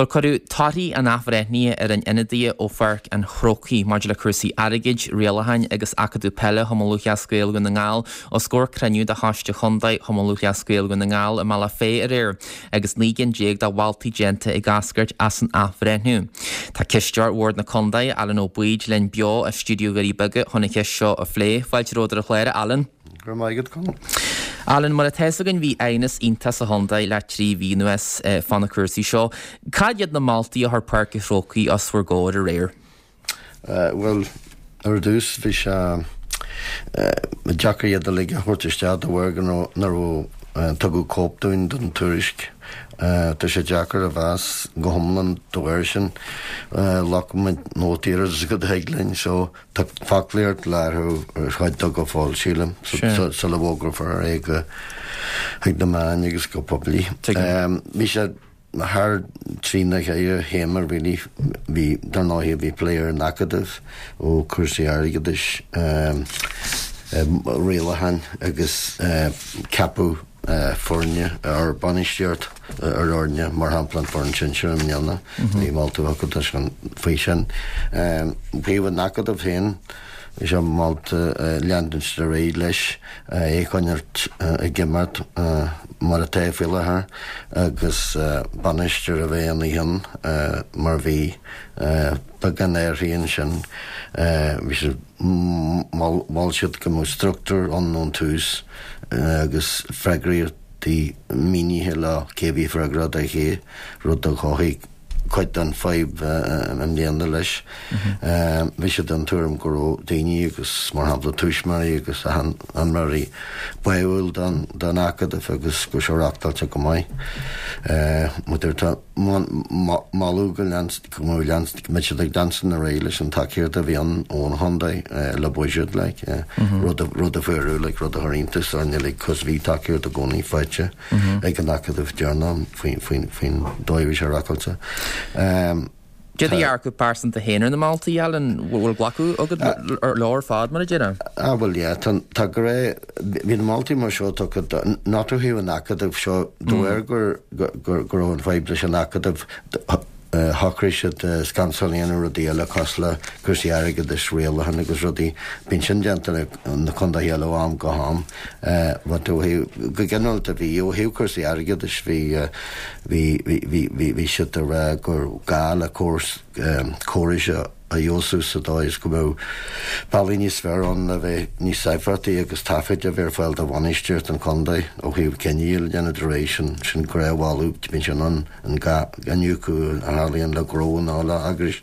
Bhuel, cuireadh torthaí an athbhreithnithe ar an ionadaithe ó Pháirc an Chrócaigh maidir le cúrsaí airgid, rialacháin agus acadamh peile Chumann Lúthchleas Gael Dhún na nGall os comhair cruinniú de Choiste Chontae Chumann Lúthchleas Gael Dhún na nGall i mBealach Féich aréir agus 19 gcinn de mholtaí déanta ag eascairt as an athbhreithniú. Tá Cisteoir Bhord na Contae, Alan Ó Baoid, linn beo as stiúideo Dhoirí Beaga chun an cheist seo a phlé. Fáilte romhat ar an chlár, a Alan. Go raibh maith agat, Conall. Alan, mar atá fhios againn bhí aighneas iontach sa chontae le 3 mhí anuas fá na cúrsaí seo. Cad iad na moltaí a chuir Páirc an Chrócaigh os bhur gcomhair aréir? Bhuel, ar dtús bhí sé deacair iad uilig a thabhairt isteach de bharr go nach raibh tugadh cóip dúinn den tuairisc. Tá sé deacair a mheas go hiomlán de bharr sin. Ghlac muid nótaí oiread is go dtig linn so Tá foclaíocht le athrú ar chuid de go fóill, sílim, sula bhfógrófar é go chuig na meáin agus go poiblí. Bhí sé thar trí nó cheithre théama really. Bhí, dar ndóigh, bhí plé ar an acadamh, ó cúrsaí airgeadais, rialacháin agus ceapadh foirne ar bainistíocht ar fhoirne, mar shampla an foireann sinsir i mbliana, bhí moltaí acu faoi sin. Ó thaobh an Acadaimh féin, bhí sé molta leanúint ar aghaidh leis, é a choinneáilt ag imeacht mar atá faoi láthair agus bainisteoir a bheith ina chionn mar bhí. Beagán athraithe ansin. Bhí siad, mhol siad go mbeadh struchtúr ann ón tús agus freagrachtaí mínithe le cé a bhí freagrach do ché, rud a chothaigh cuid den fadhb i mbliana leis. Bhí siad den tuairim go raibh daoine agus, mar shampla, tuismitheoirí agus imreoirí báúil don acadamh agus go raibh sé reachtáilte go maith. Tá Moladh go mbeadh siad ag leanstan ar aghaidh leis an tacaíocht a bhí ann ón chontae le buiséad like, rud a fuaireadh like, rud a chuir iontas orainn uilig cos bhí tacaíocht i gcónaí faighte ag an Acadamh deireanach faoin dóigh a bhí sé reachtáilte. Cad é do dhearcadh pearsanta féin ar na moltaí, Alan? Bhfuil glacadh agat leo ar fad, mar a déarfá? Ah bhuel yeah, tá tá go raibh, bhí na moltaí mar seo tugtha do, not ó thaobh an Acadaimh seo, de bharr gur gur go raibh an fadhb leis an Acadamh, shocraigh siad scansáil a dhéanamh rudaí eile cosúil le cúrsaí airgeadais, rialacháin agus rudaí. Bíonn sin déanta na contaetha eile ó am go ham. But ó thaobh, go ginearálta bhí, ó thaobh cúrsaí airgeadais bhí, Bhí, bhí, bhí, bhí siad ag rá gur gá le córas, córais a fheabhsú sa dóigh is go mbeadh bealaí níos fearr ann le bheith níos éifeachtaí agus taifid a bheith ar fáil do bhainistíocht an chontae ó thaobh cinní a dhéanamh de réir sin, sin gnáthmholadh, bíonn sé in ann an gá iniúchadh a tharlaíonn le gnó nó le heagrais.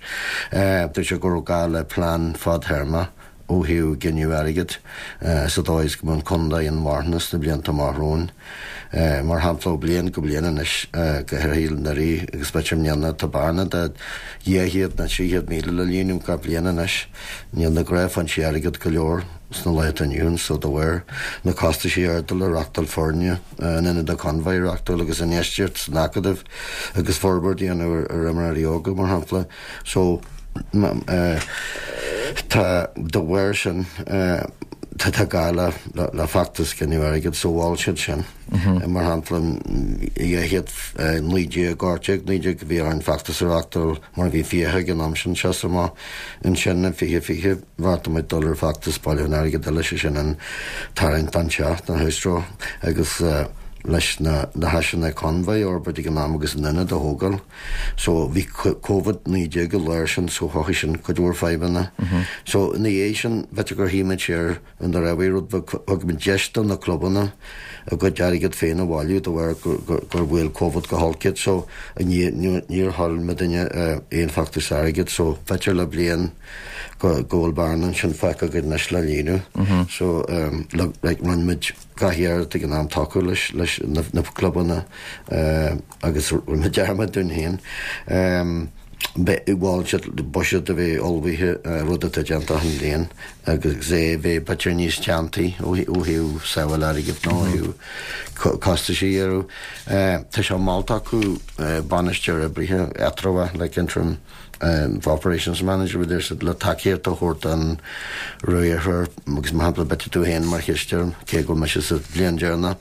Dúirt sé go raibh gá le plean fadtéarma ó thaobh gineadh airgid, sa dóigh is go mbeadh an contae inmharthana sna blianta amach romhainn. Mar shampla, ó bliain go bliain anois, go háirithe anuraidh agus b'fhéidir i mbliana, tá bearna de 200 nó 300,000 le líonadh gach bliain anois. Níl na gnáthfhoinsí airgid go leor sna laethanta inniu ann so de bharr na costaisí arda le reachtáil foirne in Ionad Convoy a reachtáil agus infheistíocht san acadamh agus forbairt a dhéanamh ar imreoirí óga, mar shampla. So, tá, de bharr sin, tá, tá gá le, le feachtas gineadh airgid, so mhol siad sin. Mar shampla, 219, 18, 19 bhí orainn feachtas a reachtáil mar bhí fiacha ag an am sin seasamh amach. Ansin in 2020 bheartaigh muid dul ar feachtas bailiúchán airgid eile, sé sin an tarraingt don teach, don house draw, agus leis na, na háiseanna Convoy a fhorbairt ag an am agus an ionad a thógáil. So bhí Covid 19 i lár sin so chothaigh sin cuid mhór fadhbanna. So ina dhiaidh sin b'fhéidir gur shuigh muid siar in the raibh rud beag thug muid deis do na clubanna a gcuid airgead féin a bhailiú de bharr gur bhuail Covid go holc iad so níor thuill muidinne aon feachtas airgid so b'fhéidir le bliain go bhfuil bearna ansin fágtha againn anois le líonadh. So like rinne muid gach iarracht ag an am tacú leis leis na clubanna agus rinne muid dearmad dúinn féin. Mhol siad buiséad a bheith ullmhaithe, rud atá déanta achan bhliain, agus é a bheith b'fhéidir níos teanntaí ó thaobh sábháil airgid nó ó thaobh costais a ghearradh. Tá sé molta acu bainisteoir oibrithe eatramhach, like interim operations manager, a deir siad, le tacaíocht a thabhairt don riarthóir agus mar shampla b'fhéidir tú féin mar chisteoir, cé go bhfuil mise sa bhliain deireanach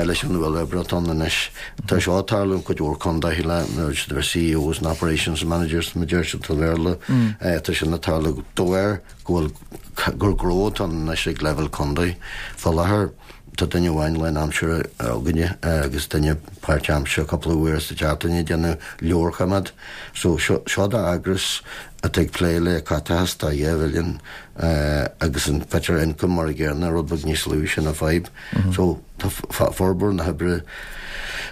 leis an ualach oibre atá ann anois. Tá seo ag tarlú in cuid mhór contaetha le siad a bheith CEOs and operations managers mar a deir siad sa Bhéarla. Tá sin ag tarlú de bharr go bhfuil gur gnó atá ann anois ag leibhéal contae. Fá láthair tá duine amháin lánaimseartha againne agus duine páirtaimseartha cúpla uair sa tseachtain ag déanamh leabharchoimeád. So seo d'eagras atá ag plé le caiteachas de 2 mhilliún agus an b'fhéidir ioncam mar a gcéanna, rud beag níos lú, sin an fadhb. So tá formhór na hoibre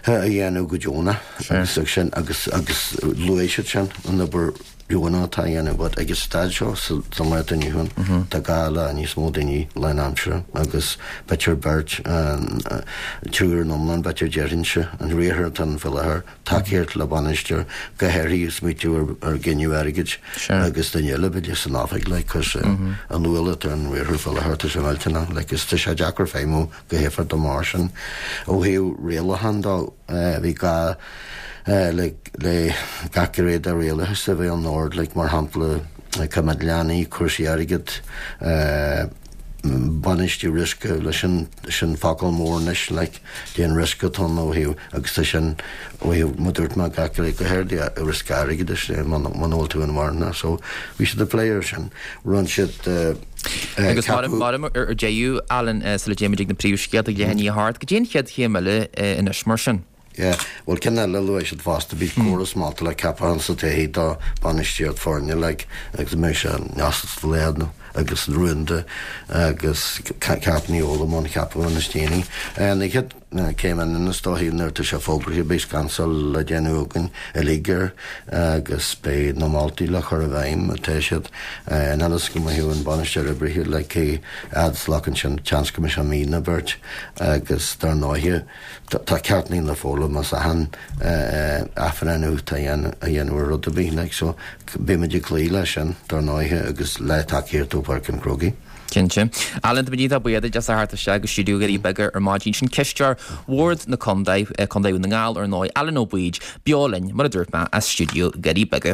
á dhéanamh go deonach agus sin agus agus luaigh siad sin an obair dheonach atá á dhéanamh but ag an staid seo sa lá atá inniu ann tá gá le níos mó daoine lánaimseartha agus b'fhéidir beirt triúr in iomlán b'fhéidir déarfainnse an riarthóir atá ann faoi láthair tacaíocht le bainisteoir, go háirithe ag smaoitiú ar ghineadh airgid agus duine eile b'fhéidir san oifig like cos an ualach atá ar an riarthóir faoi láthair tá sé millteanach like is tá sé deacair feidhmiú go héifeachtach mar sin. Ó thaobh rialachán dó bhí gá le le gach gné de rialachas a bheith in ord like mar shampla coimeád leanaí, cúrsaí airgid, bainistiú riosca leis sin, sin focal mór anois like cén riosca atá ann ó thaobh agus tá sin ó thaobh mar dúirt mé gach rud go háirithe riosca airgeadais muna bhfuil tú inmharthana so bhí siad ag plé ar sin rinne siad Agus mar mar ar deireadh Alan sula dtéimid ag na príomhscéalta ag leath i ndiaidh a hocht, cad é an chéad chéim eile anois mar sin? Yeah, bhuel ceann eile a luaigh siad fosta, bhí córas molta le ceapachán sa todhchaí do bainistíocht foirne like agus mbeidh sé neamhspleách agus rúnda agus Ceacht Ní Eola i mbun ceapachán is déanaí. An chéad céim eile is dóichí nuair atá sé fógraithe beidh scansáil le déanamh againn uilig air agus beidh na moltaí le cur i bhfeidhm atá siad in is go mbeidh an bainisteoir oibrithe like cé fhad is a ghlacann sin seans go mbeidh sé mí nó beirt agus dar ndóighe Tá ceachtanna le foghlaim as achan athbhreithniú atá á dhéanamh ar rud ar bith like so beimid ag cloí leis sin dar ndóighe agus le tacaíocht ó Pháirc an Chrócaigh. Cinnte. Alan, tá muid iontach buíoch duit as a theacht isteach go stiúideo Dhoirí Beaga ar maidin. Sin cisteoir Bhord na Contae, Contae Dhún na nGall ar ndóigh, Alan Ó Baoid, beo linn, mar a dúirt mé, as stiúideo Dhoirí Beaga.